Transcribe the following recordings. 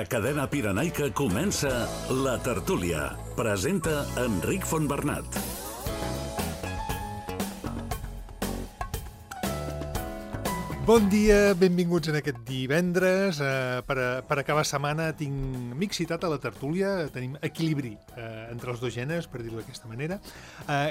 La cadena pirenaica comença La Tertúlia. Presenta Enric Fontbernat. Bon dia, benvinguts en aquest divendres. Per acabar setmana m'he citat a La Tertúlia, tenim equilibri entre els dos gèneres, per dir-ho d'aquesta manera.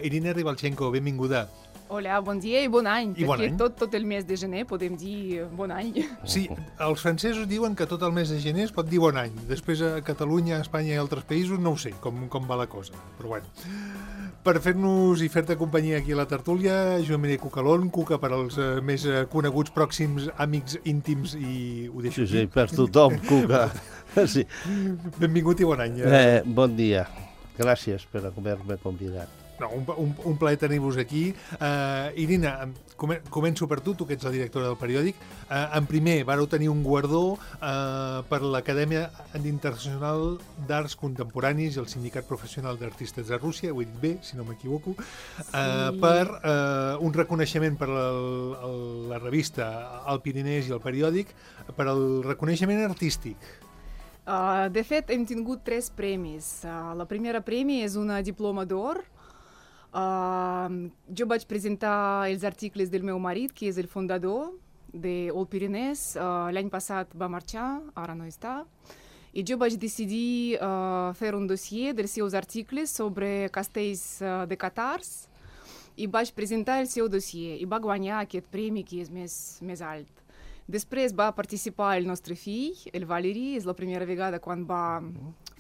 Irina Ribalchenko, benvinguda. Hola, bon dia i bon any, I bon perquè any. tot el mes de gener podem dir bon any. Sí, els francesos diuen que tot el mes de gener es pot dir bon any. Després a Catalunya, a Espanya i altres països no ho sé com va la cosa, però bueno. Per fer-nos i fer-te companyia aquí a La Tertúlia, Joan Mireia Cucalón, Cuca per als més coneguts, pròxims, àmics, íntims i ho deixo Sí, aquí. per tothom, Cuca. Sí. Benvingut i bon any. Bon dia. Gràcies per haver-me convidat. No, un plaer tenir-vos aquí. Irina, començo per tu que ets la directora del periòdic. En primer, vareu tenir un guardó per l'Acadèmia Internacional d'Arts Contemporanis i el Sindicat Professional d'Artistes de Rússia, ho he dit bé, si no m'equivoco, per un reconeixement per la revista El Pirinès i el periòdic, per al reconeixement artístic. De fet, hem tingut 3 premis. La primera premi és una diploma d'or. Jo vaig presentar els articles del meu marit, que és el fundador de El Pirinès. L'any passat va marxar, ara no està. I jo vaig decidir fer un dossier dels seus articles sobre castells de catars i vaig presentar el seu dossier i va guanyar aquest premi que és més alt. Després va participar el nostre fill, el Valeri, és la primera vegada quan va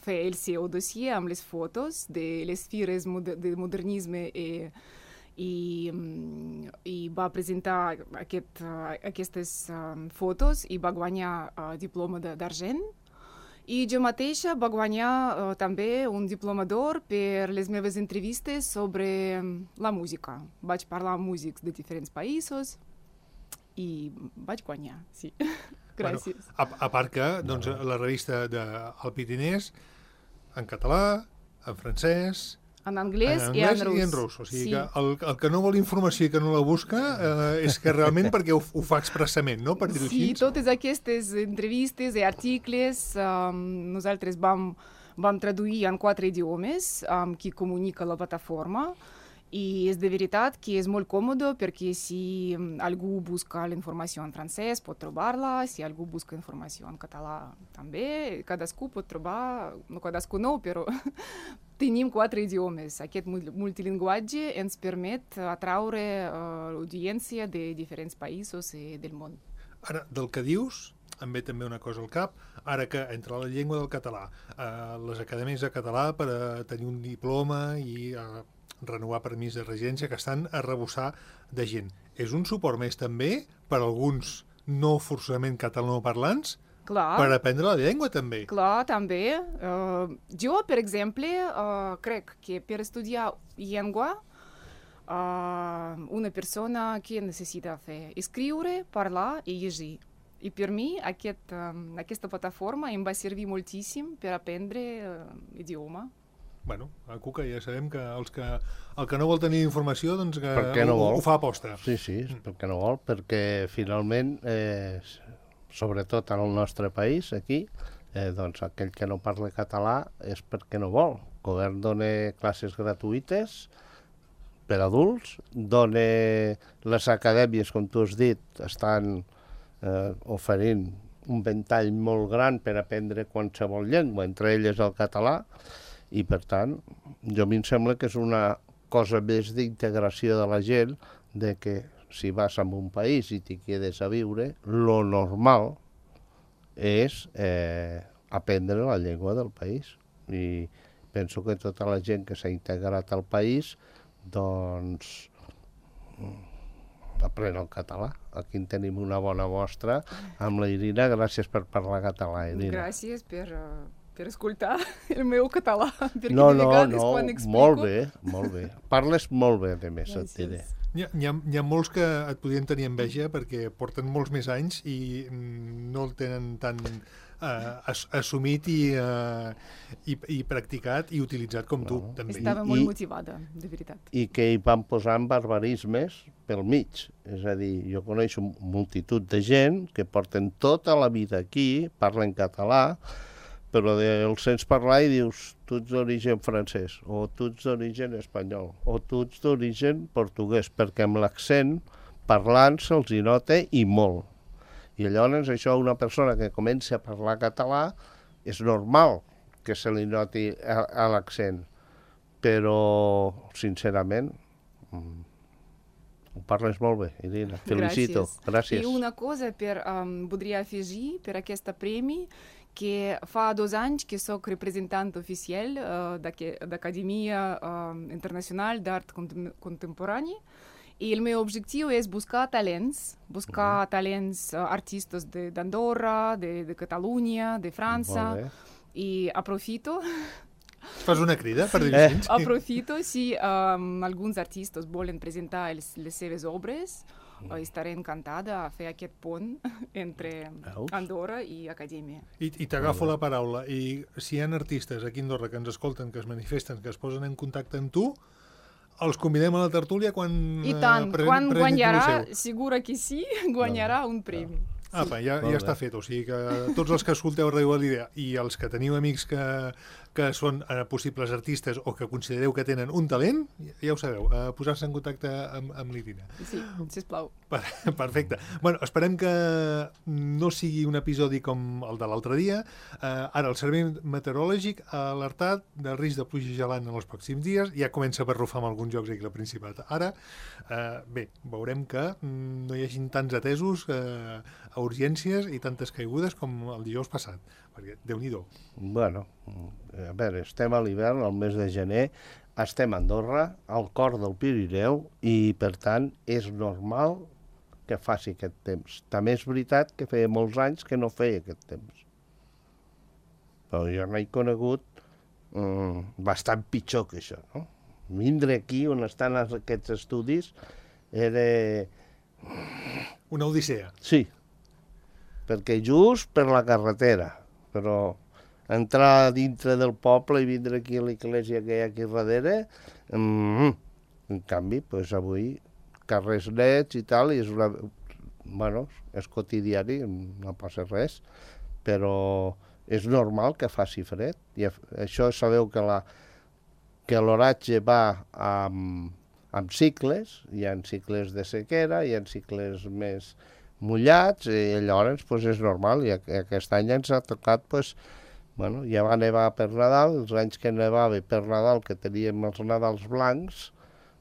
fer el seu dossier amb les fotos de les fires de modernisme i va presentar aquestes fotos i va guanyar diploma d'argent. I jo mateixa va guanyar també un diploma d'or per les meves entrevistes sobre la música. Vaig parlar amb músics de diferents països i vaig guanyar, sí. Gràcies. Bueno, a part que doncs, la revista d'El Pirinès en català, en francès, en anglès i en rus. O sigui que el que no vol informació i que no la busca és que realment perquè ho fa expressament, no? Per dir-ho així. Sí, totes aquestes entrevistes i articles nosaltres vam traduir en 4 idiomes que comunica la plataforma. I és de veritat que és molt còmode perquè si algú busca la informació en francès pot trobar-la, si algú busca informació en català també, cadascú pot trobar, no cadascú no, però tenim 4 idiomes. Aquest multilingüatge ens permet atraure l'audiència de diferents països del món. Ara, del que dius, em ve també una cosa al cap, ara que entre la llengua del català, les acadèmies de català per tenir un diploma i renovar permís de residència, que estan a rebussar de gent. És un suport més també per alguns no forçosament catalanoparlants per aprendre la llengua també. Clar, també. Jo, per exemple, crec que per estudiar llengua una persona que necessita fer escriure, parlar i llegir. I per mi aquesta plataforma em va servir moltíssim per aprendre idioma. Bueno, a Cuca ja sabem que el que no vol tenir informació doncs que no ho fa aposta. Sí, perquè no vol, perquè finalment, sobretot en el nostre país, aquí, doncs aquell que no parla català és perquè no vol. El govern dona classes gratuïtes per adults, dona les acadèmies, com tu has dit, estan oferint un ventall molt gran per aprendre qualsevol llengua, entre elles el català, i per tant, a mi em sembla que és una cosa més d'integració de la gent, de que si vas a un país i t'hi quedes a viure, lo normal és aprendre la llengua del país. I penso que tota la gent que s'ha integrat al país, doncs aprèn el català. Aquí en tenim una bona mostra amb la Irina. Gràcies per parlar català, Irina. Gràcies per escoltar el meu català. No, molt bé. Parles molt bé, a més, et diré. Hi ha molts que et podien tenir enveja perquè porten molts més anys i no el tenen tan assumit i practicat i utilitzat com tu, també. Estava molt motivada, de veritat. I que hi van posant barbarismes pel mig. És a dir, jo coneixo multitud de gent que porten tota la vida aquí, parlen català, però el sents parlar i dius tu ets d'origen francès, o tu ets d'origen espanyol, o tu ets d'origen portuguès, perquè amb l'accent parlant se'ls hi nota i molt. I llavors això una persona que comença a parlar català és normal que se li noti a l'accent, però sincerament ho parles molt bé, Irina. Felicito. Gràcies. I una cosa voldria afegir per aquest premi, que fa 2 anys que soc representant oficial d'Acadèmia Internacional d'Art Contemporani. I el meu objectiu és buscar talents artistes d'Andorra, de Catalunya, de França, i aprofito... Fas una crida per dir-ho així? Aprofito, si alguns artistes volen presentar les seves obres, estaré encantada a fer aquest pont entre Andorra i Acadèmia. I t'agafo la paraula. I si hi ha artistes aquí a Andorra que ens escolten, que es manifesten, que es posen en contacte amb tu, els convidem a la tertúlia quan... I tant, quan guanyarà, segura que sí, guanyarà un premi. Apa, ja està fet, o sigui que tots els que escolteu Ràdio Galilea i els que teniu amics que són possibles artistes o que considereu que tenen un talent, ja ho sabeu, posar-se en contacte amb l'Irina. Sí, sisplau. Perfecte. Bueno, esperem que no sigui un episodi com el de l'altre dia. Ara el Servei Meteorològic ha alertat del risc de pluja gelant en els pròxims dies. Ja comença a barrufar amb alguns llocs aquí al Principat. Ara, bé, veurem que no hi hagin tants atesos a urgències i tantes caigudes com el dijous passat, perquè Déu-n'hi-do. Bueno, a veure, estem a l'hivern, al mes de gener, estem a Andorra, al cor del Pirineu, i per tant és normal que faci aquest temps. També és veritat que feia molts anys que no feia aquest temps. Però jo n'he conegut bastant pitjor que això, no? Vindre aquí on estan aquests estudis era... Una odissea. Sí, perquè just per la carretera, però entrar dintre del poble i vindre aquí a l'església que hi ha aquí darrere, en canvi, doncs avui carrers nets i tal, i és una... Bueno, és quotidiani, no passa res, però és normal que faci fred. I això sabeu que l'oratge va amb cicles, hi ha cicles de sequera, hi ha cicles més mullats, i llavors pues, és normal, i aquest any ens ha tocat, pues, bueno, ja va nevar per Nadal, els anys que nevava per Nadal, que teníem els Nadals blancs,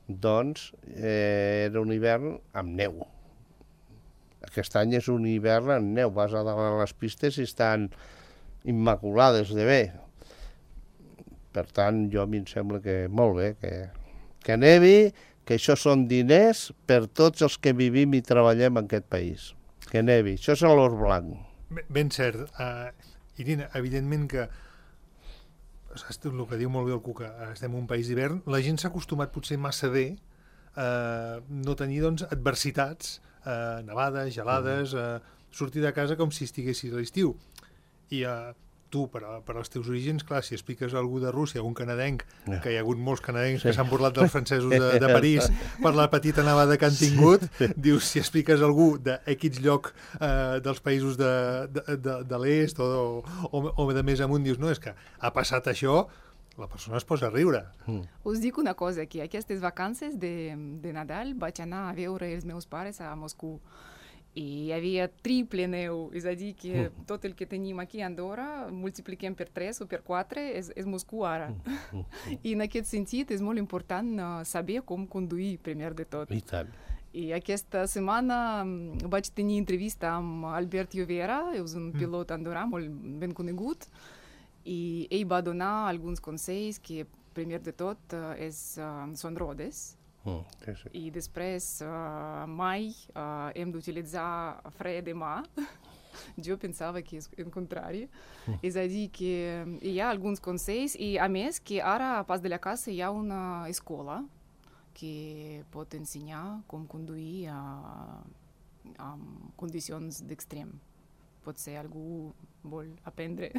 doncs era un hivern amb neu. Aquest any és un hivern amb neu, vas a dalt a les pistes i estan immaculades de bé. Per tant, a mi em sembla que molt bé, que nevi, que això són diners per tots els que vivim i treballem en aquest país. Que nevi. Això és l'or blanc. Ben cert. Irina, evidentment que saps el que diu molt bé el Cuca, estem en un país d'hivern, la gent s'ha acostumat potser massa bé a no tenir doncs, adversitats, nevades, gelades, sortir de casa com si estiguessis a l'estiu. I tu, per als teus orígens, clar, si expliques a algú de Rússia, un canadenc, que hi ha hagut molts canadencs que s'han burlat dels francesos de París per la petita nevada que han tingut, dius, si expliques a algú d'X lloc dels països de l'est o de més amunt, dius, no, és que ha passat això, la persona es posa a riure. Us dic una cosa, que aquestes vacances de Nadal vaig anar a veure els meus pares a Moscou. I hi havia triple neu, és a dir, que tot el que tenim aquí a Andorra multipliquem per 3 o per 4, és Moscou ara. I en aquest sentit és molt important saber com conduir, primer de tot. I tant. I aquesta setmana vaig tenir entrevista amb Albert Llobera, és un pilot andorrà molt ben conegut, i ell va donar alguns consells que, primer de tot, són rodes. Sí, sí. I després mai hem d'utilitzar fre de mà. Jo pensava que és el contrari. És a dir, que hi ha alguns consells i, a més, que ara a pas de la casa hi ha una escola que pot ensenyar com conduir en condicions d'extrem. Potser algú vol aprendre.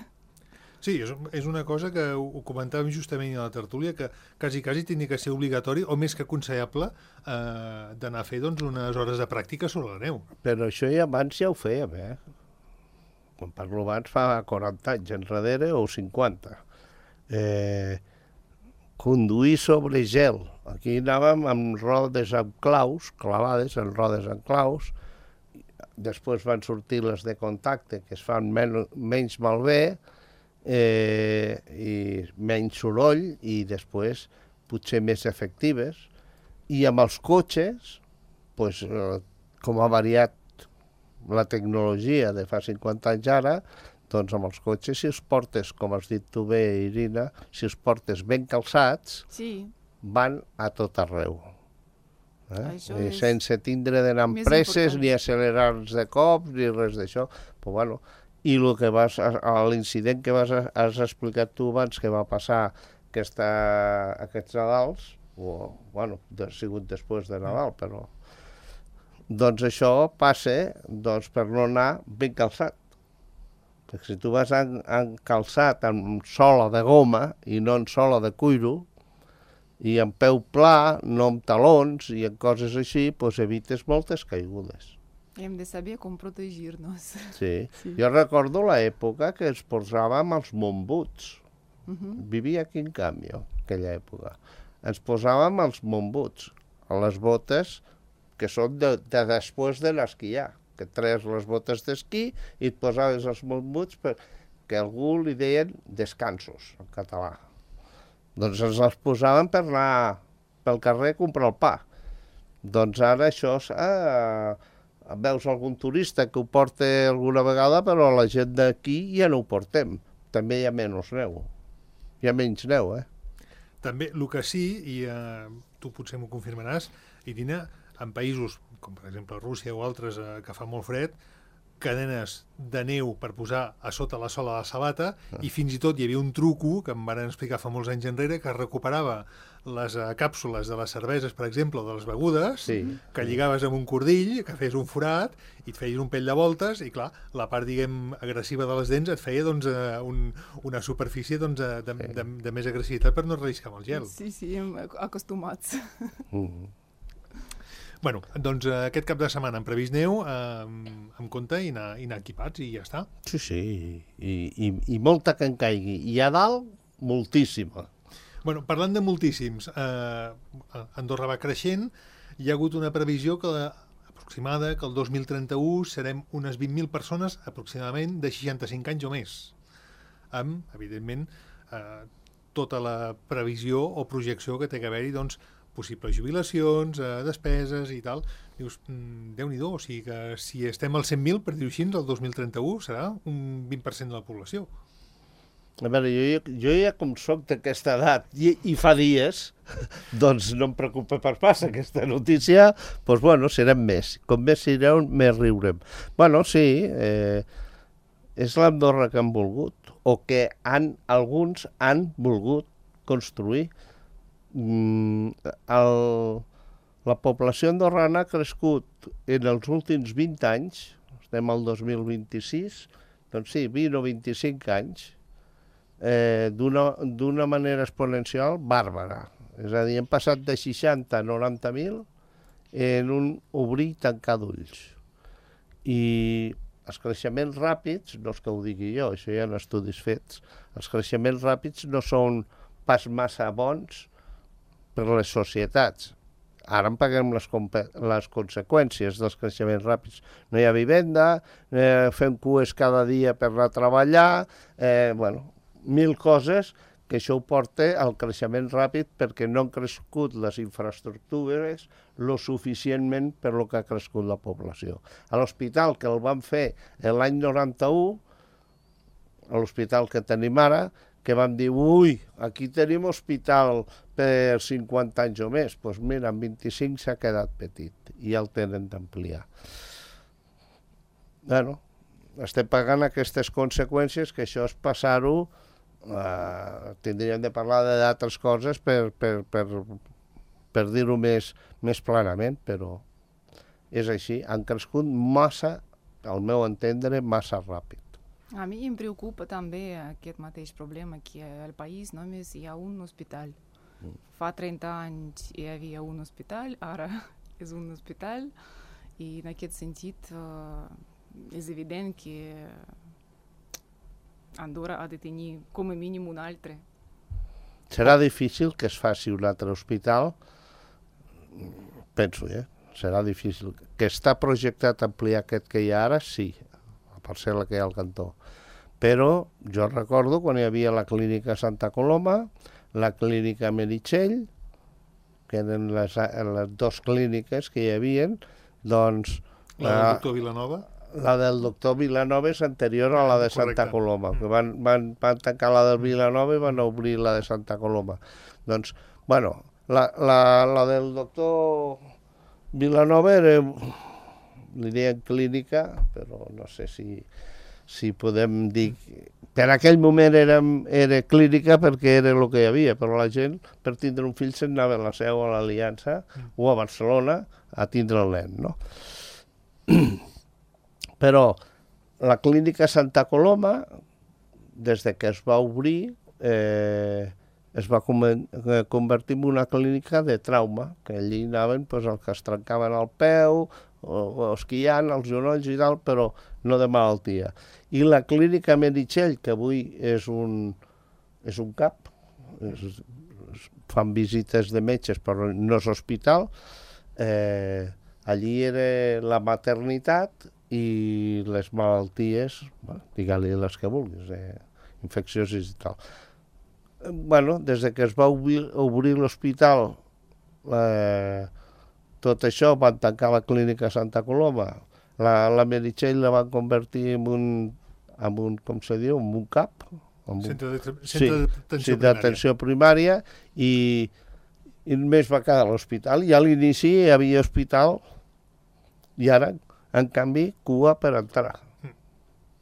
Sí, és una cosa que ho comentàvem justament a la tertúlia, que quasi tenia que ser obligatori o més que aconsellable d'anar a fer doncs, unes hores de pràctica sobre la neu. Però això ja abans ja ho fèiem, quan parlo abans fa 40 anys enrere o 50. Conduir sobre gel. Aquí anàvem amb rodes amb claus, clavades en rodes amb claus. Després van sortir les de contacte, que es fan menys malbé i menys soroll, i després potser més efectives. I amb els cotxes, pues, com ha variat la tecnologia de fa 50 anys ara, doncs amb els cotxes, si els portes, com has dit tu bé, Irina, si els portes ben calçats, Sí, van a tot arreu. això I és sense tindre d'anar amb més presses, important. ni accelerar-nos de cops, ni res d'això. Però, bueno, i l'incident que has explicat tu abans, que va passar aquests Nadals, ha sigut després de Nadal, però... Doncs això passa per no anar ben calçat. Perquè si tu vas calçat amb sola de goma i no amb sola de cuiro, i amb peu pla, no amb talons i amb coses així, doncs evites moltes caigudes. Hem de saber com protegir-nos. Sí. Jo recordo l'època que ens posàvem els montbuts. Vivia aquí en Canvi, aquella època. Ens posàvem els montbuts, les botes que són de després de l'esquiar, que treus les botes d'esquí i et posaves els montbuts perquè algú li deien descansos, en català. Doncs ens els posàvem per anar pel carrer a comprar el pa. Doncs ara això... veus algun turista que ho porta alguna vegada, però la gent d'aquí ja no ho portem. També hi ha menys neu. Hi ha menys neu, També, el que sí, i tu potser m'ho confirmaràs, Irina, en països com per exemple Rússia o altres que fa molt fred, cadenes de neu per posar a sota la sola de la sabata, i fins i tot hi havia un truco que em van explicar fa molts anys enrere, que recuperava les càpsules de les cerveses, per exemple, o de les begudes, que lligaves amb un cordill, que feies un forat, i et feies un pell de voltes, i clar, la part, diguem, agressiva de les dents et feia doncs, una superfície doncs, de més agressivitat per no relliscar amb el gel. Sí, acostumats. Bueno, doncs aquest cap de setmana hem previst neu, amb compte i anar equipats i ja està. Sí, i molta que en caigui. I a dalt, moltíssima. Bueno, parlant de moltíssims, Andorra va creixent, hi ha hagut una previsió aproximada que el 2031 serem unes 20.000 persones aproximadament de 65 anys o més, amb, evidentment, tota la previsió o projecció que té que haver-hi, doncs, possibles jubilacions, despeses i tal. Dius, Déu-n'hi-do, o sigui que si estem als 100.000, per dir-ho així, el 2031 serà un 20% de la població. A veure, jo ja com soc d'aquesta edat i fa dies, doncs no em preocupa per pas aquesta notícia, doncs bueno, serem més. Com més serem, més riurem. Bueno, sí, és l'Andorra que han volgut, o que alguns han volgut construir. La població andorrana ha crescut en els últims 20 anys, estem al 2026, doncs sí, 20 o 25 anys, d'una manera exponencial bàrbara. És a dir, hem passat de 60 a 90.000 en un obrir i tancar d'ulls. I els creixements ràpids, no és que ho digui jo, això hi ha estudis fets, els creixements ràpids no són pas massa bons per les societats. Ara en paguem les conseqüències dels creixements ràpids. No hi ha vivenda, fem cues cada dia per anar a treballar, mil coses que això ho porta al creixement ràpid perquè no han crescut les infraestructures lo suficientment per lo que ha crescut la població. A l'hospital que el van fer l'any 91, a l'hospital que tenim ara, que vam dir, aquí tenim hospital per 50 anys o més. Doncs mira, en 25 s'ha quedat petit i ja el tenen d'ampliar. Bueno, estem pagant aquestes conseqüències, que això és passar-ho, tindríem de parlar d'altres coses per dir-ho més planament, però és així. Han crescut massa, al meu entendre, massa ràpid. A mi em preocupa també aquest mateix problema, que al país només hi ha un hospital. Fa 30 anys hi havia un hospital, ara és un hospital, i en aquest sentit és evident que Andorra ha de tenir com a mínim un altre. Serà difícil que es faci un altre hospital, penso, serà difícil. Que està projectat ampliar aquest que hi ha ara, sí, la parcel·la que hi ha al cantó. Però jo recordo quan hi havia la clínica Santa Coloma, la clínica Meritxell, que eren les dues clíniques que hi havia, doncs... La del doctor Vilanova? La del doctor Vilanova és anterior a la de Santa Coloma, que van tancar la del Vilanova i van obrir la de Santa Coloma. Doncs, bueno, la del doctor Vilanova era, li deien clínica, però no sé si podem dir... Per aquell moment era clínica perquè era el que hi havia, però la gent, per tindre un fill, se'n anava a la Seu, a l'Aliança, o a Barcelona, a tindre el nen, no? Però la clínica Santa Coloma, des de que es va obrir, es va convertir en una clínica de trauma, que allí anaven els que es trencaven el peu, o esquiant, els genolls i tal, però no de malaltia. I la clínica Meritxell, que avui és un CAP, fan visites de metges però no és hospital, allí era la maternitat i les malalties, digue-li les que vulguis, infeccioses i tal. Bueno, des que es va obrir l'hospital, tot això van tancar la clínica Santa Coloma, la Meritxell la van convertir en un com se diu, en un CAP, centre d'atenció primària, i només va quedar l'hospital, i a l'inici hi havia hospital, i ara, en canvi, cua per entrar.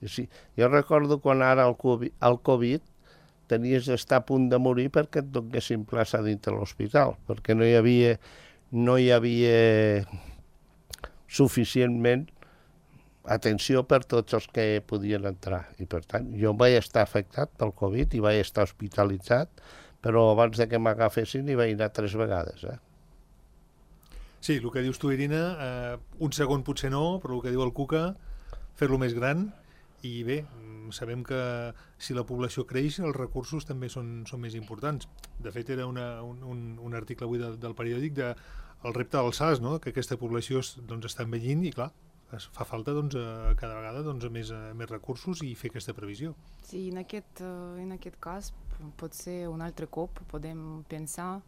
Sí, jo recordo quan ara el Covid tenies d'estar a punt de morir perquè et donessin plaça dintre l'hospital, perquè no hi havia suficientment atenció per tots els que podien entrar. I per tant, jo vaig estar afectat pel Covid i vaig estar hospitalitzat, però abans de que m'agafessin hi vaig anar 3 vegades. Sí, el que dius tu, Irina, un segon potser no, però el que diu el Cuca, fer-lo més gran, i bé, sabem que si la població creix, els recursos també són més importants. De fet, era un article avui del periòdic del repte del SAS, no? Que aquesta població està envellint i, clar, fa falta cada vegada més recursos i fer aquesta previsió. Sí, en aquest cas, potser un altre cop podem pensar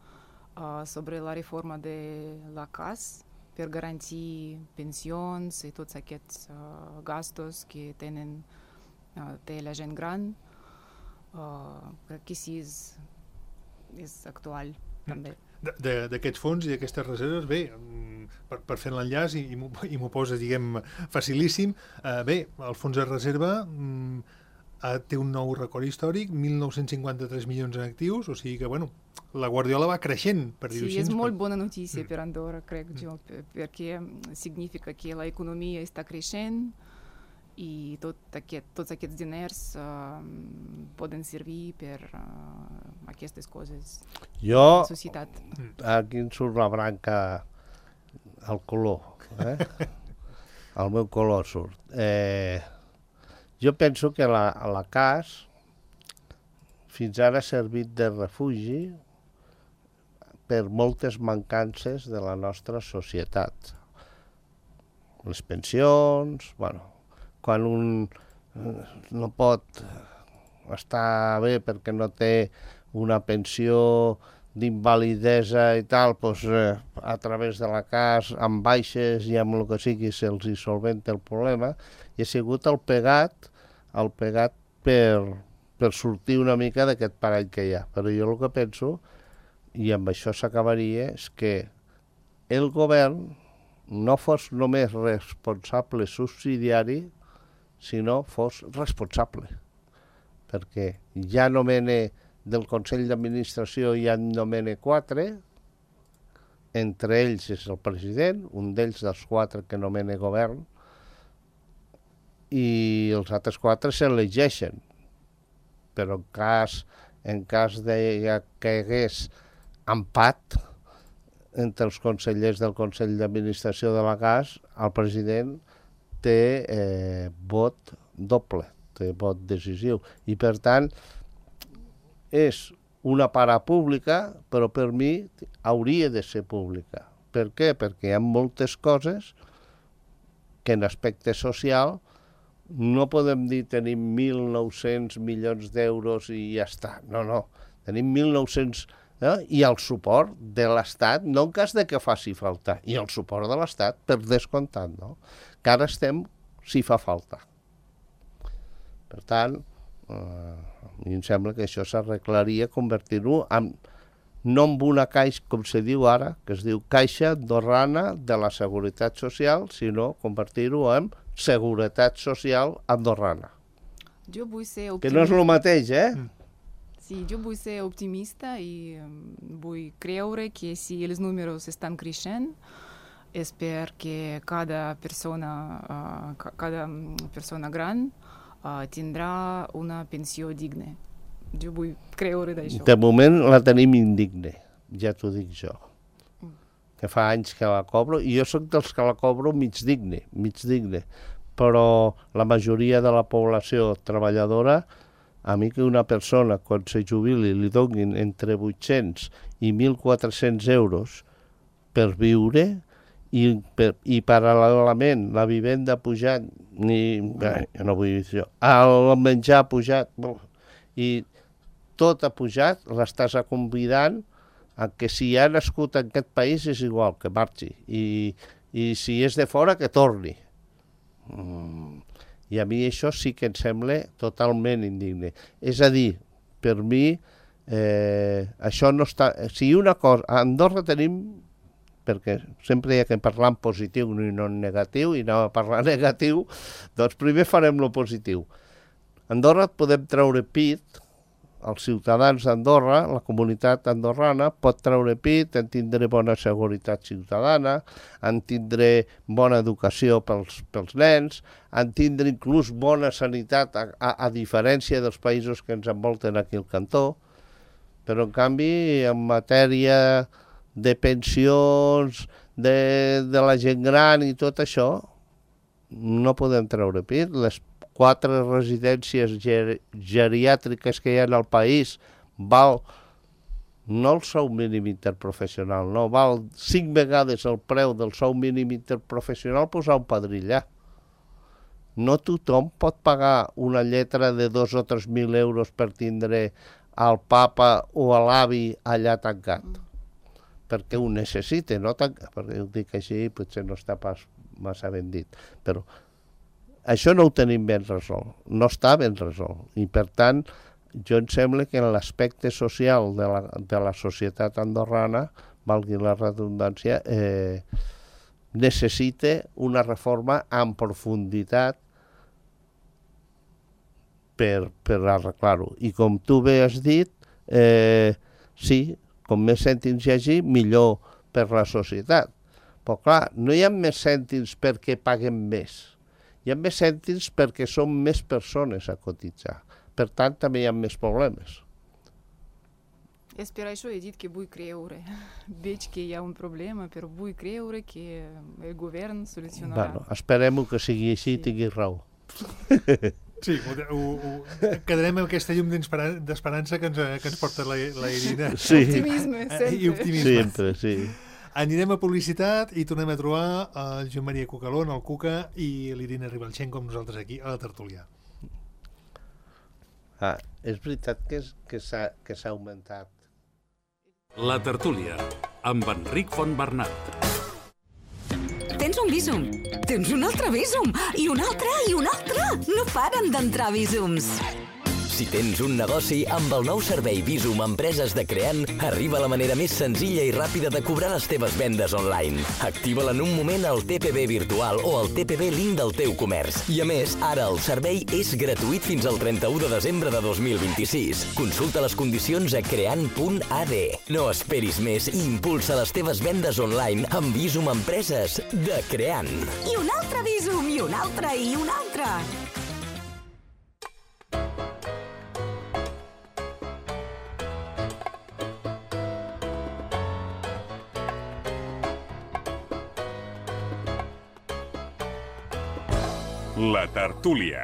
sobre la reforma de la CAS per garantir pensions i tots aquests gastos que té la gent gran. Crec que sí és actual, també. D'aquests fons i d'aquestes reserves, bé, per fer l'enllaç i m'ho poses, diguem, facilíssim, bé, el fons de reserva té un nou record històric, 1.953 milions en actius, o sigui que, bueno, la Guardiola va creixent, per dir-ho així. Sí, és molt bona notícia per Andorra, crec jo, perquè significa que l'economia està creixent i tots aquests diners poden servir per aquestes coses de la societat. Aquí em surt la branca, el color, el meu color surt. Jo penso que la CAS fins ara ha servit de refugi per moltes mancances de la nostra societat. Les pensions, bueno, quan un no pot estar bé perquè no té una pensió d'invalidesa i tal, doncs, a través de la CAS, amb baixes i amb el que sigui, se'ls hi solventa el problema, i ha sigut el pegat per sortir una mica d'aquest parell que hi ha. Però jo el que penso, i amb això s'acabaria, és que el govern no fos només responsable subsidiari, sinó fos responsable. Perquè ja nomena del Consell d'Administració, ja en nomena 4, entre ells és el president, un d'ells dels 4 que nomena govern, i els altres 4 s'elegeixen. Però en cas de que hi hagués empat entre els consellers del Consell d'Administració de la CAS, el president té vot doble. vot decisiu. I, per tant, és una parapública, però per mi hauria de ser pública. Per què? Perquè hi ha moltes coses que en aspecte social no podem dir tenim 1.900 milions d'euros i ja està. No. Tenim 1.900... I el suport de l'Estat, no en cas de que faci falta, i el suport de l'Estat, per descomptat, no? Que ara estem si fa falta. Per tant, a mi em sembla que això s'arreglaria convertir-ho no en una caixa, com se diu ara, que es diu Caixa Andorrana de la Seguretat Social, sinó convertir-ho en Seguretat Social Andorrana. Jo vull ser optimista. Que no és el mateix, Sí, jo vull ser optimista i vull creure que si els números estan creixent és perquè cada persona gran tindrà una pensió digna. Jo vull creure d'això. De moment la tenim indigne, ja t'ho dic jo. Que fa anys que la cobro, i jo sóc dels que la cobro mig digne, però la majoria de la població treballadora, a mi que una persona, quan se jubili, li donin entre 800 i 1.400 euros per viure i paral·lelament la vivenda pujant, no vull dir això, el menjar pujat, i tot ha pujat, l'estàs convidant a que si ha nascut en aquest país és igual, que marxi, i si és de fora, que torni. I a mi això sí que em sembla totalment indigne. És a dir, per mi, això no està... Si una cosa... A Andorra tenim, perquè sempre hi ha que parlar en positiu i no en negatiu, i anem a parlar negatiu, doncs primer farem lo positiu. A Andorra podem treure pit, els ciutadans d'Andorra, la comunitat andorrana, pot treure pit, en tindré bona seguretat ciutadana, en tindré bona educació pels nens, en tindré inclús bona sanitat, a diferència dels països que ens envolten aquí al cantó, però en canvi, en matèria de pensions, de la gent gran i tot això, no podem treure pit. Les 4 residències geriàtriques que hi ha al país val no el sou mínim interprofessional, no, val 5 vegades el preu del sou mínim interprofessional posar un padrí allà. No tothom pot pagar una lletra de 2 o 3.000 euros per tindre al papa o a l'avi allà tancat, perquè ho necessita, no tancat, perquè ho dic així, potser no està pas massa ben dit, però això no ho tenim ben resolt, no està ben resolt, i per tant, jo em sembla que en l'aspecte social de la societat andorrana, valgui la redundància, necessita una reforma en profunditat per arreglar-ho. I com tu bé has dit, sí, com més cèntims hi hagi, millor per la societat. Però clar, no hi ha més cèntims perquè paguen més. Hi ha més cèntims perquè són més persones a cotitzar. Per tant, també hi ha més problemes. És per això he dit que vull creure. Veig que hi ha un problema, però vull creure que el govern solucionarà. Bueno, esperem que sigui així i tingui raó. Sí, quedarem amb aquesta llum d'esperança que ens porta la Irina. Sí. Optimisme, sempre. I optimisme. Sempre, sí. Anirem a publicitat i tornem a trobar el Joan Maria Cucalón, el Cuca, i l'Irina Ribalchenko amb nosaltres aquí, a la tertúlia. És veritat que s'ha augmentat. La tertúlia, amb Enric Fontbernat. Tens un Bizum, tens un altre Bizum, i un altre, i un altre. No paren d'entrar Bizums. Si tens un negoci, amb el nou servei Bizum Empreses de Creant, arriba la manera més senzilla i ràpida de cobrar les teves vendes online. Activa-la en un moment al TPB virtual o al TPB Link del teu comerç. I a més, ara el servei és gratuït fins al 31 de desembre de 2026. Consulta les condicions a creant.ad. No esperis més i impulsa les teves vendes online amb Bizum Empreses de Creant. I un altre Bizum, i un altre, i un altre. La tertúlia.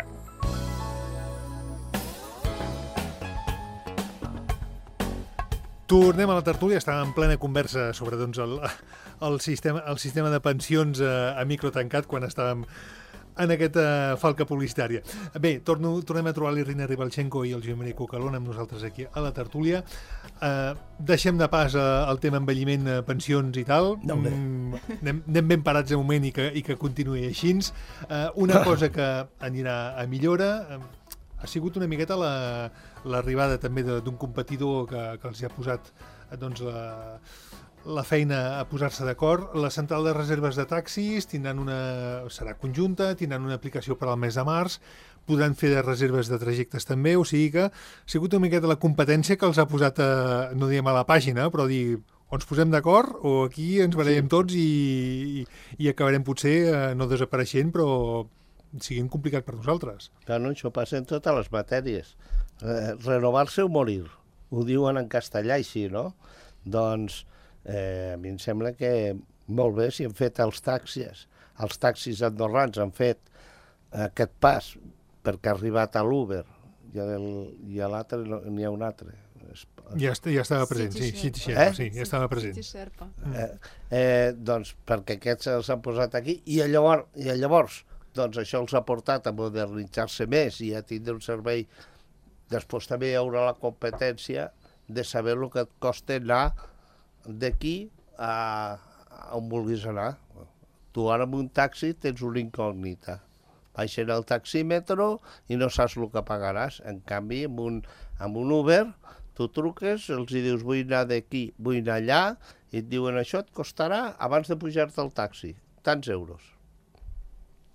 Tornem a la tertúlia, estàvem en plena conversa sobre doncs, el sistema de pensions a micro tancat quan estàvem en aquesta falca publicitària. Bé, tornem a trobar l'Irina Ribalchenko i el Josep Cocalón amb nosaltres aquí a la tertúlia. Deixem de pas el tema envelliment, pensions i tal. Anem ben parats de moment i que continuï així. Una cosa que anirà a millora ha sigut una miqueta l'arribada també d'un competidor que els ha posat doncs, la feina a posar-se d'acord. La central de reserves de taxis serà conjunta, tindran una aplicació per al mes de març, podran fer de reserves de trajectes també, o sigui que ha sigut una miqueta la competència que els ha posat, no diem a la pàgina, però dir o ens posem d'acord o aquí ens barallem tots i acabarem potser no desapareixent, però siguin complicat per nosaltres. Clar, no, això passa en totes les matèries. Renovar-se o morir. Ho diuen en castellà així, no? Doncs a mi em sembla que molt bé si han fet els taxis andorrans han fet aquest pas perquè ha arribat a l'Uber i a l'altre n'hi ha un altre. Ja estava present, City Sherpa, sí, ja estava present. Doncs perquè aquests els han posat aquí i llavors doncs això els ha portat a modernitzar-se més i a tindre un servei. Després també hi haurà la competència de saber el que et costa anar d'aquí a on vulguis anar. Tu ara amb un taxi tens una incògnita. Baixen el taxímetre i no saps el que pagaràs. En canvi, amb un Uber, tu truques, els dius vull anar d'aquí, vull anar allà, i et diuen això et costarà, abans de pujar-te al taxi, tants euros.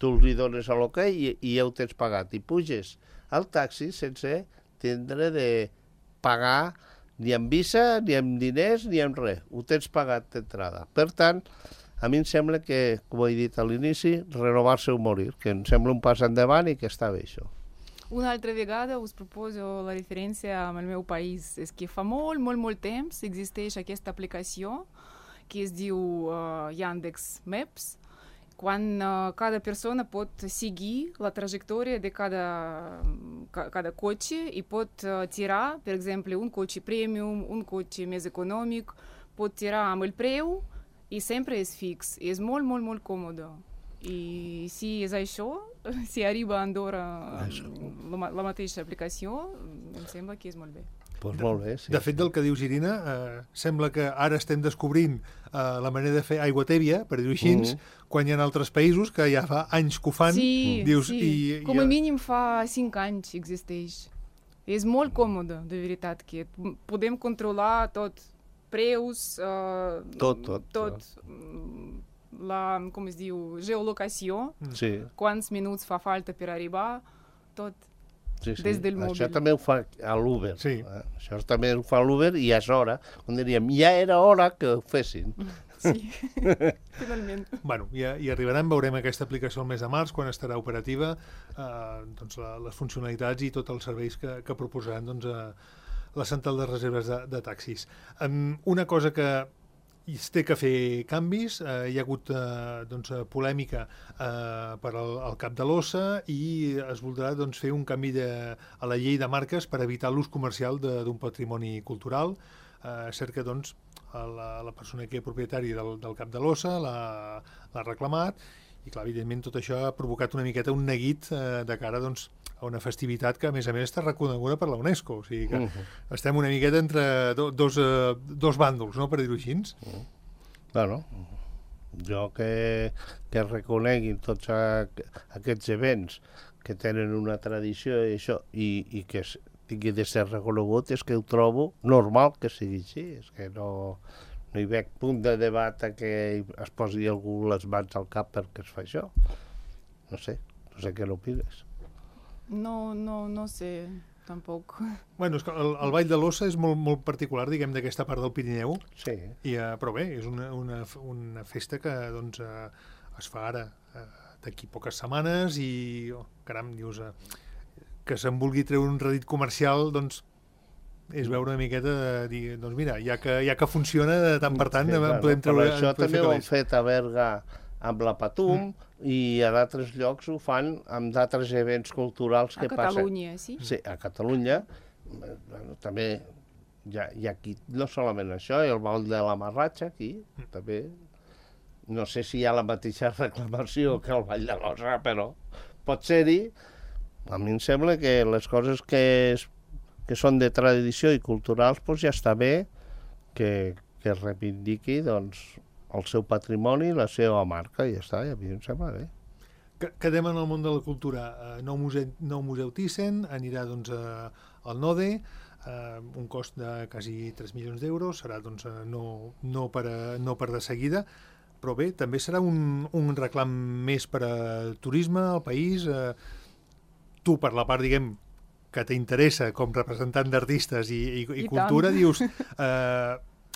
Tu li dones a l'ok i ja ho tens pagat. I puges al taxi sense tindre de pagar ni amb Visa, ni amb diners, ni amb res. Ho tens pagat d'entrada. Per tant, a mi em sembla que, com he dit a l'inici, renovar-se o morir, que em sembla un pas endavant i que està bé això. Una altra vegada us proposo la referència amb el meu país. És que fa molt temps existeix aquesta aplicació que es diu Yandex Maps, quan cada persona pot seguir la trajectòria de cada cotxe i pot tirar, per exemple, un cotxe premium, un cotxe més econòmic, pot tirar amb el preu i sempre és fix. És molt còmode. I si és això, si arriba a Andorra la mateixa aplicació, em sembla que és molt bé. Pues molt bé, sí. De fet, del que dius, Irina, sembla que ara estem descobrint la manera de fer aigua tèbia, per dir-ho així, quan hi ha altres països que ja fa anys que ho fan. Sí, dius, sí. Com a mínim fa 5 anys existeix. És molt còmode, de veritat, que podem controlar tot, preus, tot. Com es diu, geolocació, quants minuts fa falta per arribar, tot. Sí. Des del mòbil. Això també ho fa a l'Uber. Sí. Això també ho fa a l'Uber i ja és hora. On diríem, ja era hora que ho fessin. Sí, finalment. Bueno, i arribaran, veurem aquesta aplicació el mes de març, quan estarà operativa, doncs les funcionalitats i tots els serveis que proposaran doncs, la central de reserves de taxis. Una cosa que es té que fer canvis, hi ha hagut doncs, polèmica per al cap de l'OSSA i es voldrà doncs, fer un canvi a la llei de marques per evitar l'ús comercial d'un patrimoni cultural. Cert que doncs, la persona que és propietari del cap de l'OSSA l'ha reclamat i clar, evidentment tot això ha provocat una miqueta un neguit de cara doncs, a una festivitat que a més està reconeguda per la UNESCO, o sigui que estem una miqueta entre dos bàndols, no?, per dir-ho així. Bueno, jo que reconeguin tots aquests events que tenen una tradició i això, i que tingui de ser reconegut, és que ho trobo normal que sigui així, és que no hi veig punt de debat que es posi algú les mans al cap perquè es fa això. No sé què n'opines. No sé, tampoc. Bueno, és que el Ball de l'Ossa és molt particular, diguem, d'aquesta part del Pirineu. Sí. Però bé, és una festa que doncs, es fa ara, d'aquí poques setmanes, i, caram, dius, que se'n vulgui treure un rèdit comercial, doncs, és veure una miqueta de dir, doncs mira, ja que funciona de tant per tant, podem treure... Això també ho han fet a Berga amb la Patum i a d'altres llocs ho fan amb d'altres events culturals que passen. A Catalunya, sí? Sí, a Catalunya. També I aquí no solament això, el ball de la marratxa, aquí, també. No sé si hi ha la mateixa reclamació que el ball de l'osa, però pot ser-hi. A mi em sembla que les coses que són de tradició i culturals doncs ja està bé que es reivindiqui doncs, el seu patrimoni i la seva marca, i ja està, i a mi em sembla bé. Quedem en el món de la cultura. Nou museu Thyssen anirà doncs, al Node, un cost de quasi 3 milions d'euros, serà doncs, no per de seguida, però bé, també serà un reclam més per al turisme, al país. Tu, per la part, diguem, que t'interessa com representant d'artistes i cultura, dius,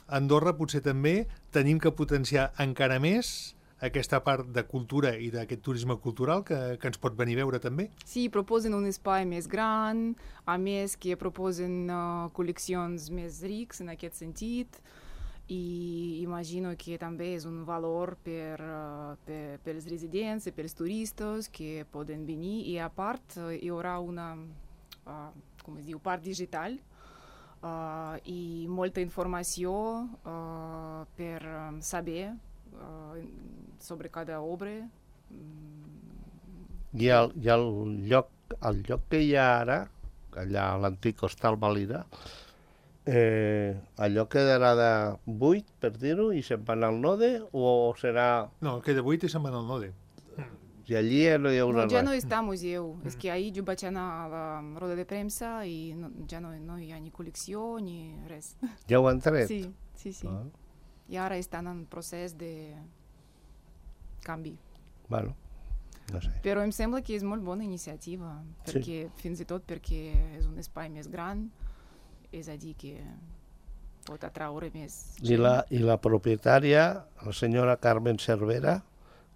Andorra potser també tenim que potenciar encara més aquesta part de cultura i d'aquest turisme cultural que ens pot venir a veure també. Sí, proposen un espai més gran, a més que proposen col·leccions més rics en aquest sentit, i imagino que també és un valor per els residents i per els turistes que poden venir, i a part hi haurà una part digital i molta informació per saber sobre cada obra. I el lloc que hi ha ara, allà a l'antic Hostal Valira, allò quedarà de buit, per dir-ho, i se'n van al Node, o serà... No, queda buit i se'n van al Node. I allí no hi haurà res. Ja no està museu. És que ahir jo vaig anar a la roda de premsa i ja no hi ha ni col·lecció ni res. Ja ho han tret? Sí. I ara estan en procés de canvi. Bueno, no sé. Però em sembla que és molt bona iniciativa, perquè, fins i tot perquè és un espai més gran, és a dir que pot atraure més gent. I la propietària, la senyora Carmen Cervera,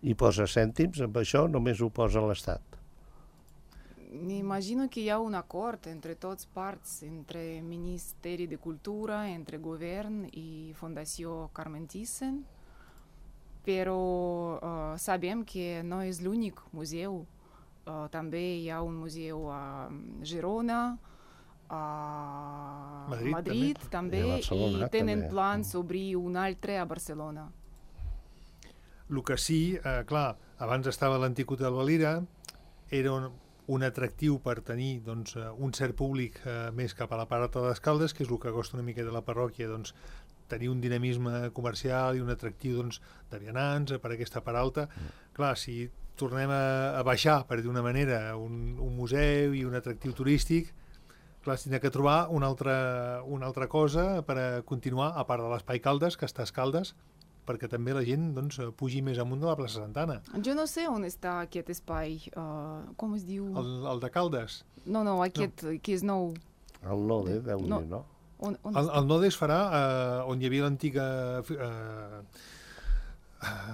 hi posa cèntims, amb això només ho posa l'Estat. Imagino que hi ha un acord entre tots parts, entre Ministeri de Cultura, entre govern i Fundació Carmen Thyssen, però sabem que no és l'únic museu. També hi ha un museu a Girona, a Madrid també, i tenen plans d'obrir un altre a Barcelona. El que sí, clar, abans estava l'antic Hotel Valira, era un atractiu per tenir doncs, un cert públic més cap a la part alta de les Caldes, que és el que costa una mica de la parròquia, doncs, tenir un dinamisme comercial i un atractiu doncs, de vianants per aquesta part alta. Clar, si tornem a baixar, per dir d'una manera, un museu i un atractiu turístic, clar, s'ha de trobar una altra cosa per a continuar, a part de l'espai Caldes, que està a Caldes, perquè també la gent doncs, pugi més amunt de la plaça Santana. Jo no sé on està aquest espai, com es diu? El de Caldes? No, aquest que és nou. El Node, deu dir, no? El Node es farà on hi havia l'antiga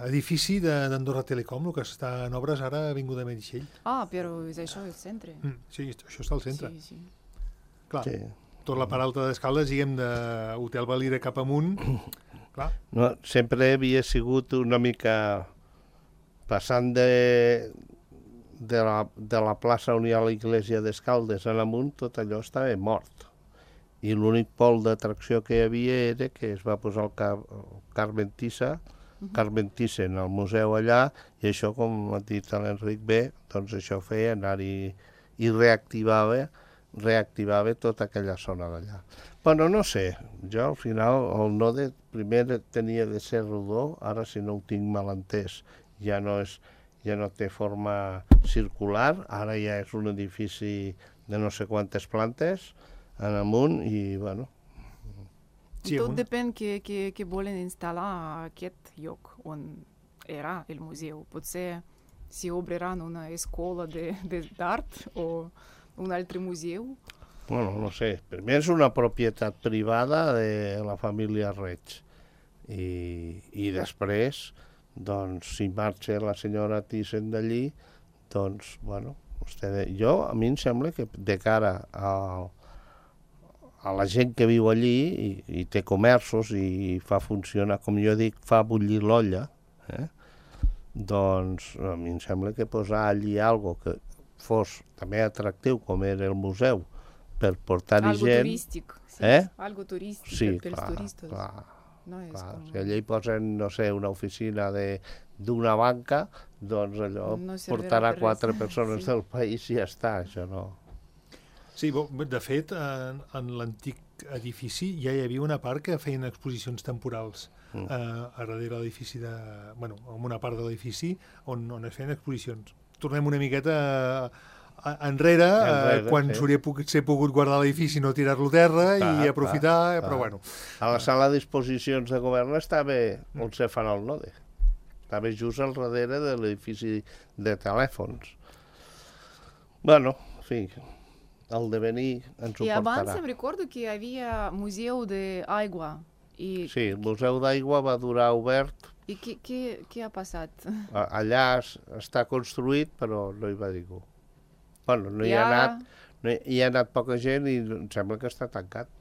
edifici d'Andorra Telecom, el que està en obres ara a Avinguda Meritxell. Però és això, el centre. Sí, això està al centre. Sí. Clar, tot la part alta d'Escaldes, diguem, d'Hotel Valira cap amunt, clar. No, sempre havia sigut una mica passant de la plaça on hi ha l'església d'Escaldes en amunt, tot allò estava mort. I l'únic pol d'atracció que hi havia era que es va posar el Carmen Thyssen al museu allà, i això, com ha dit l'Enric bé, doncs això feia anar-hi i reactivava tota aquella zona d'allà. Però no sé, jo al final el Node primer tenia de ser rodó, ara si no ho tinc mal entès ja no té forma circular, ara ja és un edifici de no sé quantes plantes en amunt i bueno... Tot depèn que volen instal·lar a aquest lloc on era el museu. Potser si obriran una escola d'art o un altre museu. Bueno, no sé, primer és una propietat privada de la família Reig i després, doncs, si marxa la senyora Thyssen d'allí, doncs, bueno, a mi em sembla que de cara a la gent que viu allí i té comerços i fa funcionar, com jo dic, fa bullir l'olla, doncs a mi em sembla que posar allí alguna cosa que fos també atractiu, com era el museu, per portar-hi gent... Algo turístic, Algo turístic Sí, pels clar, turistes. clar. No és Clar, com... si allà hi posen, no sé, una oficina d'una banca, doncs allò No servirà portarà per res. 4 persones Sí. del país i ja està, això no. Sí, de fet, en l'antic edifici ja hi havia una part que feien exposicions temporals a darrere de l'edifici, en una part de l'edifici on es feien exposicions. Tornem una miqueta enrere, quan sí. s'hauria pogut guardar l'edifici, no tirar-lo a terra i aprofitar, però bueno. A la sala d'exposicions de govern estava on se fan el node. Estava just al darrere de l'edifici de telèfons. Bueno, en fi, el devenir ens ho I abans portarà. em recordo que hi havia museu d'aigua. Sí, el Museu d'Aigua va durar obert. I què ha passat? Allà està construït, però no hi va ningú. Bueno, no hi ha anat, hi ha anat poca gent i em sembla que està tancat.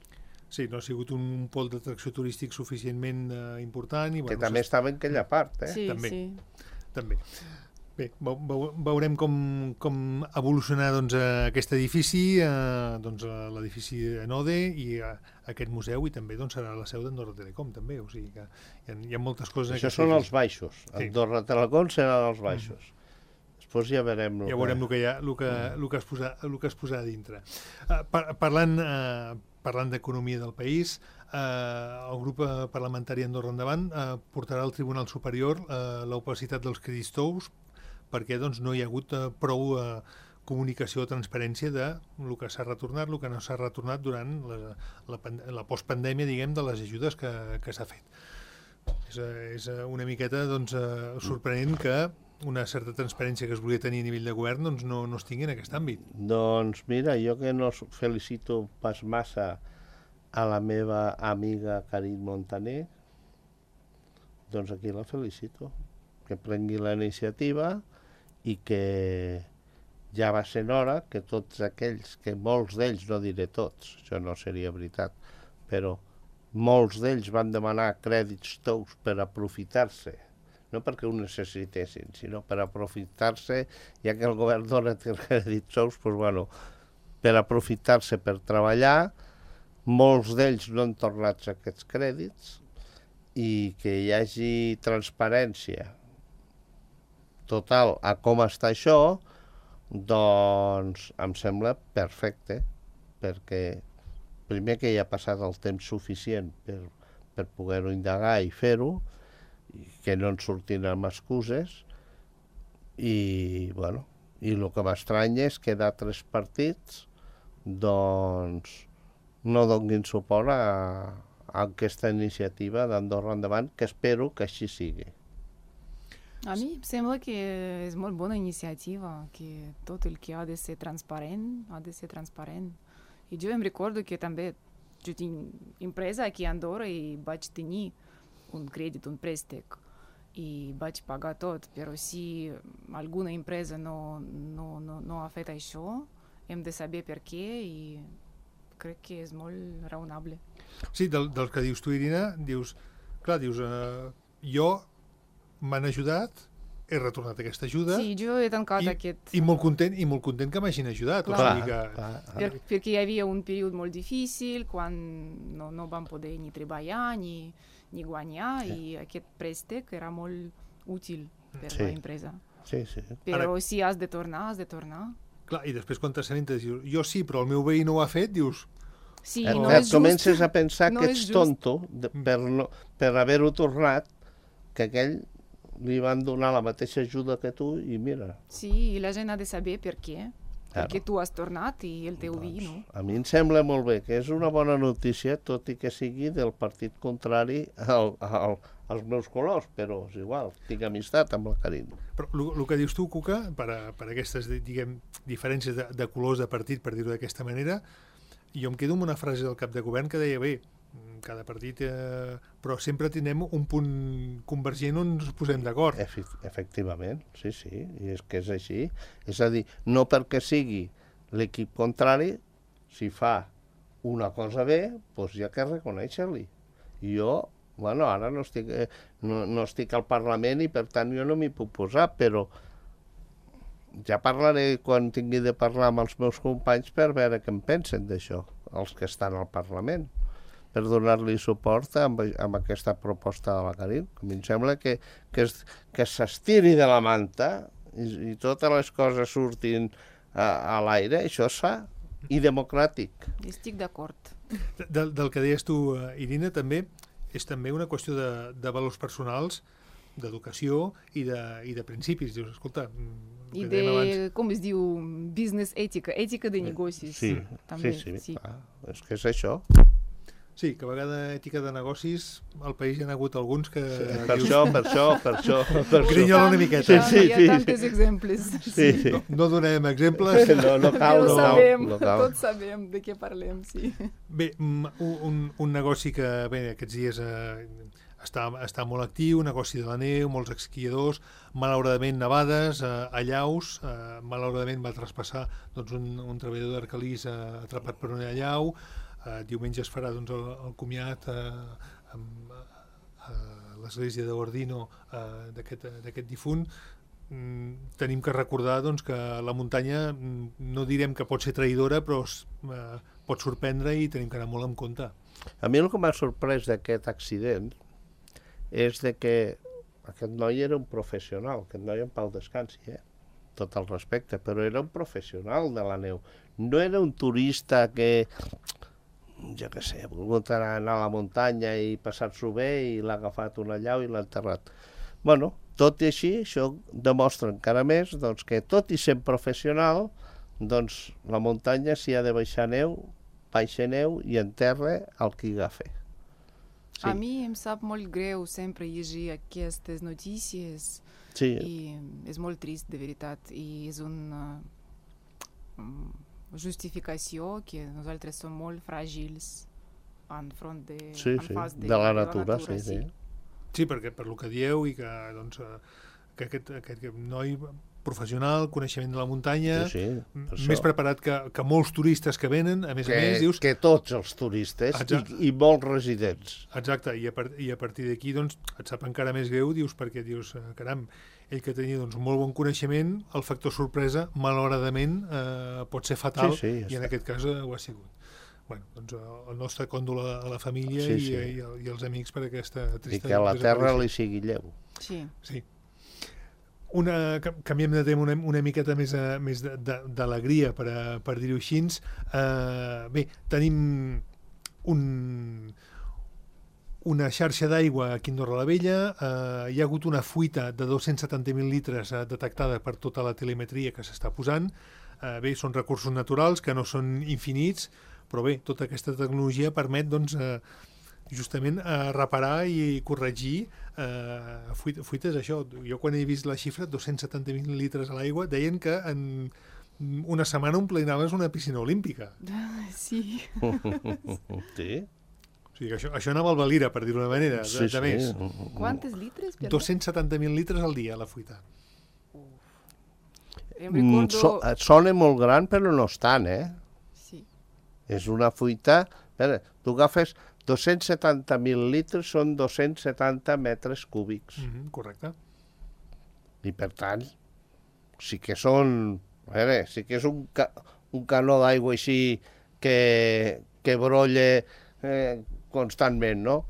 Sí, no ha sigut un pol d'atracció turístic suficientment important. I, Que també estava en aquella part, Sí, També. sí. També. Bé, veurem com evolucionar aquest edifici, l'edifici Node i aquest museu, i també serà la seu d'Andorra Telecom, també, o sigui que hi ha moltes coses... Això són els baixos. Andorra Telecom seran els baixos. Després ja veurem... Ja veurem el que es posarà a dintre. Parlant d'economia del país, el grup parlamentari Andorra Endavant portarà al Tribunal Superior l'opacitat dels crèdits tous, perquè no hi ha hagut prou comunicació o transparència de el que s'ha retornat, el que no s'ha retornat durant la postpandèmia, diguem, de les ajudes que s'ha fet. És una miqueta sorprenent que una certa transparència que es volia tenir a nivell de govern no es tingui en aquest àmbit. Doncs mira, jo que no felicito pas massa a la meva amiga Karin Montaner, doncs aquí la felicito, que prengui la iniciativa i que ja va sent hora que tots aquells, que molts d'ells, no diré tots, això no seria veritat, però molts d'ells van demanar crèdits tous per aprofitar-se, no perquè ho necessitessin, sinó per aprofitar-se, ja que el govern dona crèdits tous, doncs, bueno, per aprofitar-se per treballar. Molts d'ells no han tornat aquests crèdits i que hi hagi transparència total a com està això, doncs em sembla perfecte, perquè primer que hi ha passat el temps suficient per poder-ho indagar i fer-ho, que no ens sortin amb excuses, i bueno, i el que m'estranya és que d'altres partits doncs no donin suport a aquesta iniciativa d'Andorra Endavant, que espero que així sigui. A mi em sembla que és molt bona iniciativa, que tot el que ha de ser transparent, ha de ser transparent. I jo em recordo que també jo tinc empresa aquí a Andorra i vaig tenir un crèdit, un préstec, i vaig pagar tot, però si alguna empresa no ha fet això, hem de saber per què i crec que és molt raonable. Sí, del que dius tu, Irina, dius, jo m'han ajudat, he retornat aquesta ajuda. Sí, jo he tancat aquest... I molt content que m'hagin ajudat. Perquè hi havia un període molt difícil, quan no vam poder ni treballar, ni guanyar, i aquest préstec era molt útil per l'empresa. Sí, sí. Però si has de tornar, has de tornar. Clar, i després quan t'assabentes dius, jo sí, però el meu veí no ho ha fet, dius... Sí, no és just. Comences a pensar que ets tonto per haver-ho tornat, que aquell li van donar la mateixa ajuda que tu i mira. Sí, i la gent ha de saber per què. Perquè tu has tornat i el teu veí no. A mi em sembla molt bé, que és una bona notícia, tot i que sigui del partit contrari als meus colors, però és igual, tinc amistat amb la Karin. Però el que dius tu, Cuca, per aquestes, diguem, diferències de colors de partit, per dir-ho d'aquesta manera, jo em quedo amb una frase del cap de govern que deia, bé, cada partit, però sempre tindrem un punt convergent on ens posem d'acord. Efectivament, sí, i és que és així. És a dir, no perquè sigui l'equip contrari, si fa una cosa bé, doncs hi ha que reconèixer-li. Jo, bueno, ara no estic al Parlament i per tant jo no m'hi puc posar, però ja parlaré quan tingui de parlar amb els meus companys per veure què en pensen d'això. els que estan al Parlament, per donar-li suport amb aquesta proposta de la Caril. A mi em sembla que s'estiri de la manta i totes les coses surtin a l'aire, això és sa i democràtic. Estic d'acord. Del que deies tu, Irina, també és també una qüestió de valors personals, d'educació i de principis. Dius, escolta, I de, com es diu, business ètica de negocis. Sí, també, sí. És que és això. Sí, que a vegada ètica de negocis, al país hi ha hagut alguns que... Per això. Grinyola una miqueta. Hi ha tantes exemples. Sí. No donem exemples. No cal. Tots sabem de què parlem, sí. Bé, un negoci que aquests dies està molt actiu, negoci de la neu, molts esquiadors, malauradament nevades, allaus, malauradament va traspassar un treballador d'Arcalís atrapat per una allau. Diumenge es farà el comiat a l'església d'Ordino d'aquest difunt. Tenim que recordar que la muntanya, no direm que pot ser traïdora, però pot sorprendre i tenim que anar molt en compte. A mi el que m'ha sorprès d'aquest accident és que aquest noi era un professional, aquest noi en pau descansi, tot el respecte, però era un professional de la neu. No era un turista que, jo què sé, ha volgut anar a la muntanya i passar-s'ho bé i l'ha agafat una allau i l'ha enterrat. Bueno, tot i així, això demostra encara més que tot i sent professional, la muntanya, si ha de baixar neu, baixa neu i enterra el que hi agafa. Sí. A mi em sap molt greu sempre llegir aquestes notícies i és molt trist, de veritat, i és una justificació que nosaltres som molt fràgils en front de la natura. Sí, perquè per lo que dieu i que aquest noi professional, coneixement de la muntanya, més preparat que molts turistes que venen, a més, dius... Que tots els turistes i molts residents. Exacte, i a partir d'aquí et sap encara més greu, perquè dius, caram, ell que tenia molt bon coneixement, el factor sorpresa, malauradament, pot ser fatal, i en aquest cas ho ha sigut. El nostre còndol a la família i als amics per aquesta trista... I que a la terra li sigui lleu. Sí. Canviem de tema una miqueta més d'alegria, per dir-ho així. Bé, tenim una xarxa d'aigua aquí a Andorra la Vella. Hi ha hagut una fuita de 270.000 litres detectada per tota la telemetria que s'està posant. Bé, són recursos naturals que no són infinits, però bé, tota aquesta tecnologia permet justament reparar i corregir fuites. Això, jo quan he vist la xifra, 270.000 litres a l'aigua, deien que en una setmana omplinaves una piscina olímpica. Sí. Sí? O sigui, això anava al Valira, per dir-ho d'una manera, de més. Quantes litres? 270.000 litres al dia, la fuita. Sona molt gran, però no és tant, Sí. És una fuita... Tu agafes 270.000 litres, són 270 metres cúbics. Correcte. I per tant, sí que són... sí que és un canó d'aigua així que brolla constantment, no?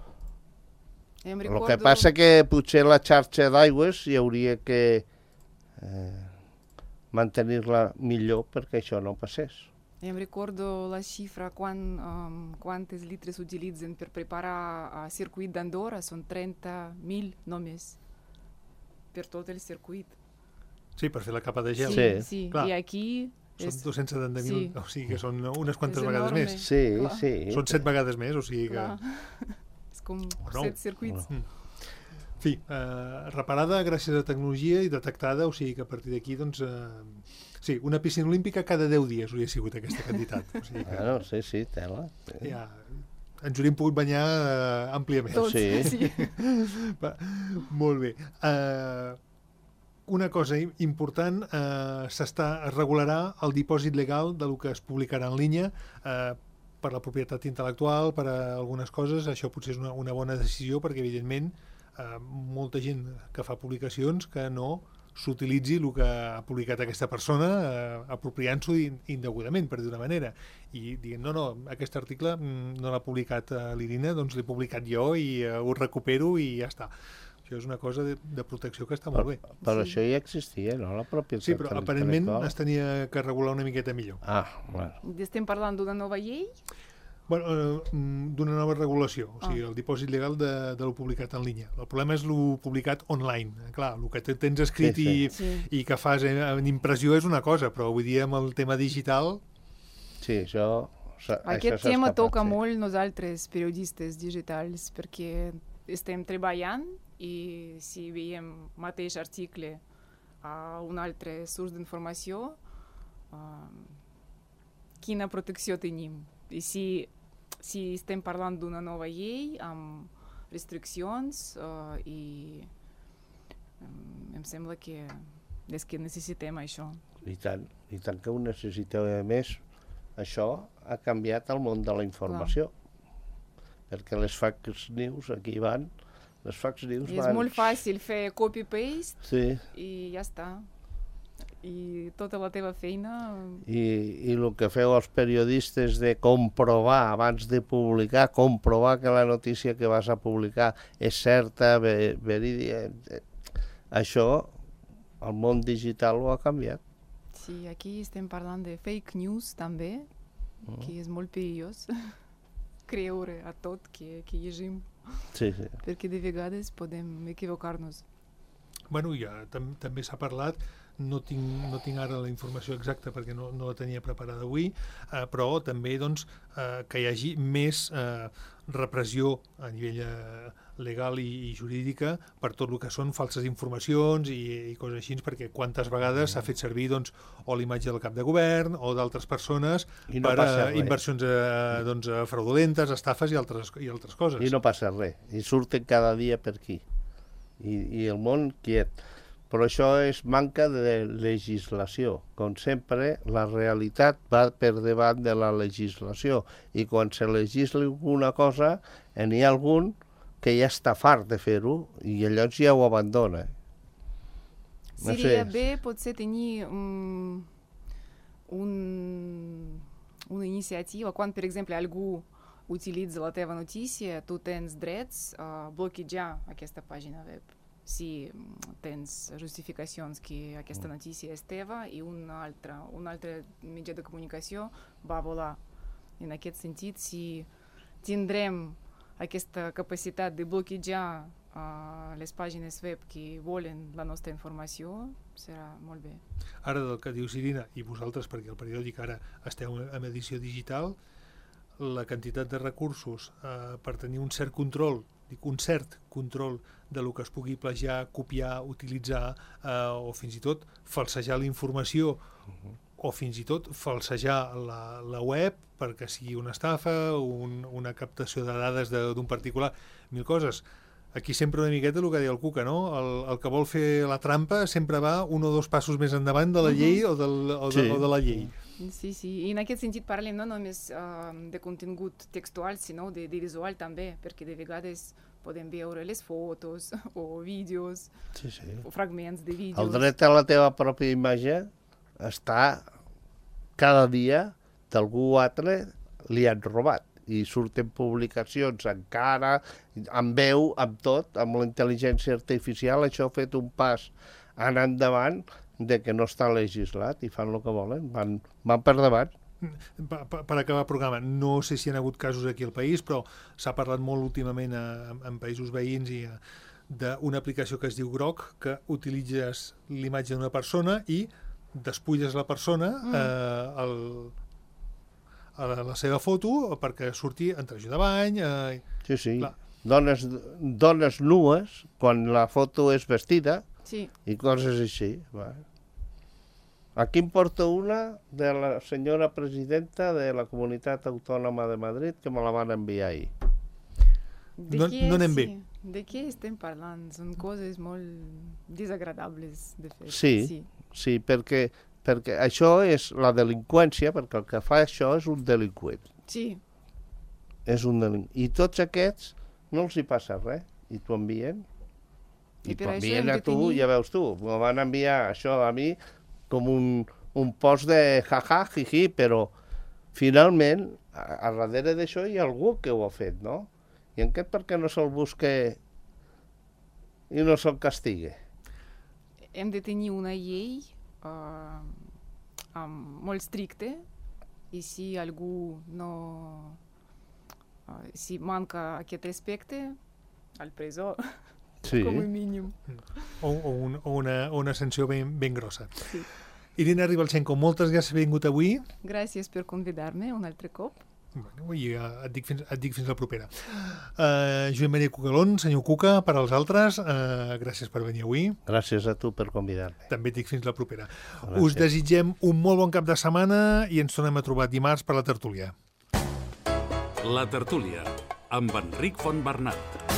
El que passa que potser la xarxa d'aigües hi hauria que mantenir-la millor perquè això no passés. Em recordo la xifra quantes litres utilitzen per preparar el circuit d'Andorra, són 30.000 només per tot el circuit. Sí, per fer la capa de gel. Sí. I aquí... Són 270.000, o sigui que són unes quantes vegades més. Sí. Són 7 vegades més, o sigui que... És com 7 circuits. En fi, reparada gràcies a la tecnologia i detectada, o sigui que a partir d'aquí, sí, una piscina olímpica cada 10 dies hauria sigut aquesta quantitat. O sigui que... Sí, tela. Ja, ens hauríem pogut banyar àmpliament. Tots, sí. Molt bé. Una cosa important, es regularà el dipòsit legal del que es publicarà en línia per la propietat intel·lectual, per a algunes coses. Això potser és una bona decisió perquè, evidentment, molta gent que fa publicacions que no s'utilitzi el que ha publicat aquesta persona apropiant-s'ho indegudament, per dir d'una manera, i dient, no, aquest article no l'ha publicat l'Irina, doncs l'he publicat jo i ho recupero i ja està. Això és una cosa de protecció que està molt bé. Però això ja existia, no? La propietat Sí, però aparentment es tenia que regular una miqueta millor. Bueno. Estem parlant d'una nova llei? Bueno, d'una nova regulació, o sigui, el dipòsit legal de lo publicat en línia. El problema és lo publicat online. Clar, el que tens escrit i que fas en impressió és una cosa, però avui dia amb el tema digital... Sí, això... Aquest tema toca molt nosaltres, periodistes digitals, perquè estem treballant i si veiem mateix article a un altre surs d'informació, quina protecció tenim? I si estem parlant d'una nova llei amb restriccions i em sembla que és que necessitem això. I tant que ho necessiteu. A més, això ha canviat el món de la informació. Perquè les fake news aquí van... Les fake news van... És molt fàcil fer copy-paste i ja està. I tota la teva feina... I el que feu els periodistes de comprovar, abans de publicar, comprovar que la notícia que vas a publicar és certa, verídica... Això, el món digital ho ha canviat. Sí, aquí estem parlant de fake news també, que és molt perillós creure a tot que llegim. Sí. Perquè de vegades podem equivocar-nos. Bueno, ja també s'ha parlat, no tinc ara la informació exacta perquè no la tenia preparada avui, però també doncs, que hi hagi més repressió a nivell legal i jurídica per tot el que són falses informacions i coses així, perquè quantes vegades s'ha fet servir doncs, o l'imatge del cap de govern o d'altres persones per inversions fraudulentes, estafes i altres coses. I no passa res, i surten cada dia per aquí. I el món quiet. Però això és manca de legislació. Com sempre, la realitat va per davant de la legislació. I quan se legisla alguna cosa, n'hi ha algun que ja està fart de fer-ho i llavors ja ho abandona. Seria bé potser tenir una iniciativa, quan, per exemple, algú utilitza la teva notícia, tu tens drets a bloquejar aquesta pàgina web. Si tens justificacions que aquesta notícia és teva i un altre mitjà de comunicació va volar. En aquest sentit, si tindrem aquesta capacitat de bloquejar les pàgines web que volen la nostra informació, serà molt bé. Ara del que dius, Irina, i vosaltres, perquè el periòdic ara esteu en edició digital, la quantitat de recursos per tenir un cert control de lo que es pugui plagiar, copiar, utilitzar o fins i tot falsejar la informació o fins i tot falsejar la web perquè sigui una estafa, una captació de dades d'un particular, mil coses. Aquí sempre una miqueta el que deia el Cuca, no? El que vol fer la trampa sempre va un o dos passos més endavant de la llei o de la llei. Sí, i en aquest sentit parlem no només de contingut textual, sinó de visual també, perquè de vegades podem veure les fotos o vídeos o fragments de vídeos. El dret a la teva pròpia imatge està cada dia d'algú altre li han robat i surten publicacions encara, amb veu, amb tot, amb la intel·ligència artificial, això ha fet un pas anar endavant de que no està legislat i fan el que volen, van per davant. Per acabar el programa, no sé si hi ha hagut casos aquí al país, però s'ha parlat molt últimament en països veïns i d'una aplicació que es diu Grok, que utilitzes l'imatge d'una persona i despulles la persona a la seva foto perquè surti en traje de bany. Sí. Dones nues, quan la foto és vestida, i coses així. Aquí em porta una de la senyora presidenta de la Comunitat Autònoma de Madrid que me la van enviar ahir. No anem bé. De què estem parlant? Són coses molt desagradables de fer. Sí, perquè això és la delinqüència, perquè el que fa això és un delinqüent. Sí. És un delinqüent. I tots aquests no els hi passa res, i t'ho envien. I t'envien a tu, ja veus tu, me van enviar això a mi com un post de jaja, jiji, però finalment, a darrere d'això hi ha algú que ho ha fet, no? I aquest per què no se'l busque i no se'l castigue? Hem de tenir una llei molt stricta i si algú no... si manca aquest respecte, al presó, Sí. com a mínim. O una sanció ben grossa. Sí. Irina Ribalchenko, moltes gràcies per haver vingut avui. Gràcies per convidar-me un altre cop. Bueno, i et dic fins la propera. Joan Maria Cucalón, senyor Cuca, per als altres, gràcies per venir avui. Gràcies a tu per convidar-me. També et dic fins la propera. Gràcies. Us desitgem un molt bon cap de setmana i ens tornem a trobar dimarts per la tertúlia. La tertúlia, amb Enric Fontbernat.